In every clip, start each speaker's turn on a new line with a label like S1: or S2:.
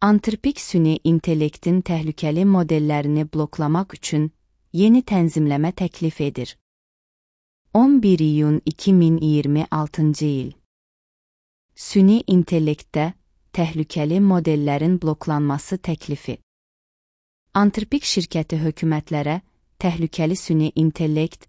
S1: Antropik süni intellektin təhlükəli modellərini bloklamaq üçün yeni tənzimləmə təklif edir. 11 iyun 2026-cı il. Süni intellektdə təhlükəli modellərin bloklanması təklifi. Antropik şirkəti hökumətlərə təhlükəli süni intellekt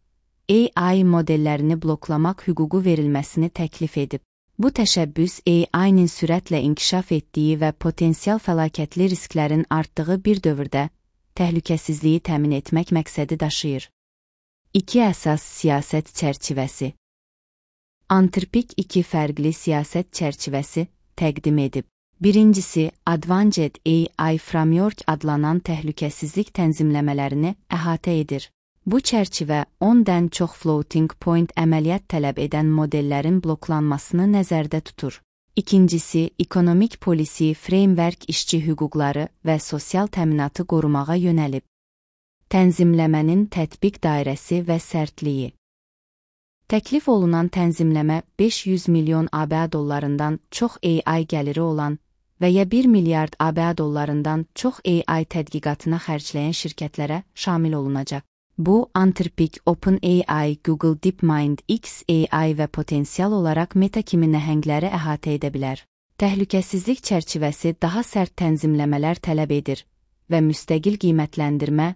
S1: AI modellərini bloklamaq hüququ verilməsini təklif edib. Bu təşəbbüs AI-nin sürətlə inkişaf etdiyi və potensial fəlakətli risklərin artdığı bir dövrdə təhlükəsizliyi təmin etmək məqsədi daşıyır. 2 əsas siyasət çərçivəsi. Antropik 2 fərqli siyasət çərçivəsi təqdim edib. Birincisi, Advanced AI Framework adlanan təhlükəsizlik tənzimləmələrini əhatə edir. Bu çərçivə 10-dən çox floating point əməliyyat tələb edən modellərin bloklanmasını nəzərdə tutur. İkincisi, Economic Policy Framework işçi hüquqları və sosial təminatı qorumağa yönəlib. Tənzimləmənin tətbiq dairəsi və sərtliyi. Təklif olunan tənzimləmə 500 milyon ABŞ dollarından çox AI gəliri olan və ya 1 milyard ABŞ dollarından çox AI tədqiqatına xərcləyən şirkətlərə şamil olunacaq. Bu, Anthropic, OpenAI, Google DeepMind, xAI və potensial olaraq Meta kimi nəhəngləri əhatə edə bilər. Təhlükəsizlik çərçivəsi daha sərt tənzimləmələr tələb edir və müstəqil qiymətləndirmə,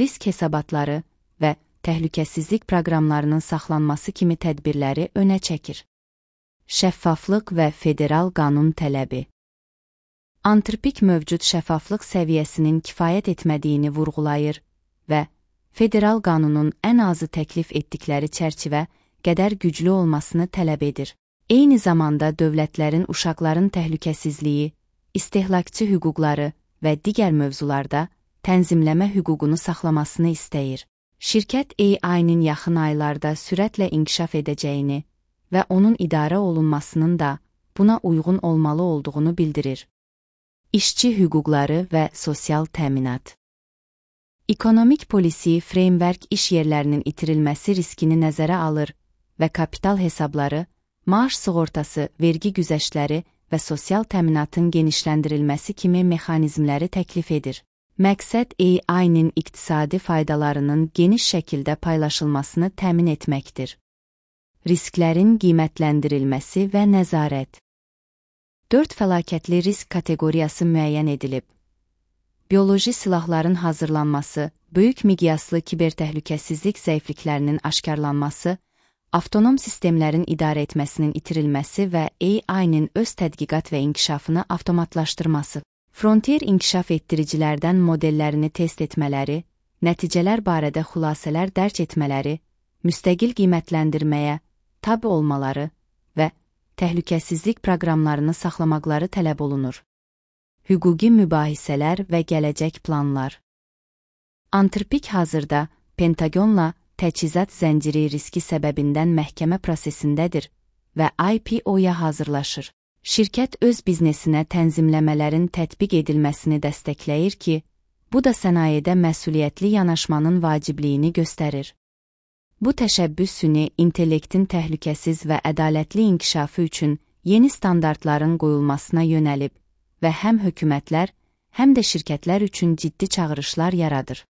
S1: risk hesabatları və təhlükəsizlik proqramlarının saxlanması kimi tədbirləri önə çəkir. Şəffaflıq və federal qanun tələbi. Anthropic mövcud şəffaflıq səviyyəsinin kifayət etmədiyini vurğulayır və federal qanunun ən azı təklif etdikləri çərçivə qədər güclü olmasını tələb edir. Eyni zamanda dövlətlərin uşaqların təhlükəsizliyi, istehlakçı hüquqları və digər mövzularda tənzimləmə hüququnu saxlamasını istəyir. Şirkət AI-nin yaxın aylarda sürətlə inkişaf edəcəyini və onun idarə olunmasının da buna uyğun olmalı olduğunu bildirir. İşçi hüquqları və sosial təminat. Economic Policy Framework iş yerlərinin itirilməsi riskini nəzərə alır və kapital hesabları, maaş sığortası, vergi güzəştləri və sosial təminatın genişləndirilməsi kimi mexanizmləri təklif edir. Məqsəd AI-nin iqtisadi faydalarının geniş şəkildə paylaşılmasını təmin etməkdir. Risklərin qiymətləndirilməsi və nəzarət. 4 fəlakətli risk kateqoriyası müəyyən edilib. Bioloji silahların hazırlanması, böyük miqyaslı kibertəhlükəsizlik zəifliklərinin aşkarlanması, avtonom sistemlərin idarə etməsinin itirilməsi və AI-nin öz tədqiqat və inkişafını avtomatlaşdırması. Frontier inkişaf etdiricilərdən modellərini test etmələri, nəticələr barədə xülasələr dərc etmələri, müstəqil qiymətləndirməyə tabe olmaları və təhlükəsizlik proqramlarını saxlamaqları tələb olunur. Hüquqi mübahisələr və gələcək planlar. Anthropic hazırda Pentagonla təchizat zənciri riski səbəbindən məhkəmə prosesindədir və IPO-ya hazırlaşır. Şirkət öz biznesinə tənzimləmələrin tətbiq edilməsini dəstəkləyir ki, bu da sənayedə məsuliyyətli yanaşmanın vacibliyini göstərir. Bu təşəbbüs süni intellektin təhlükəsiz və ədalətli inkişafı üçün yeni standartların qoyulmasına yönəlib və həm hökumətlər, həm də şirkətlər üçün ciddi çağırışlar yaradır.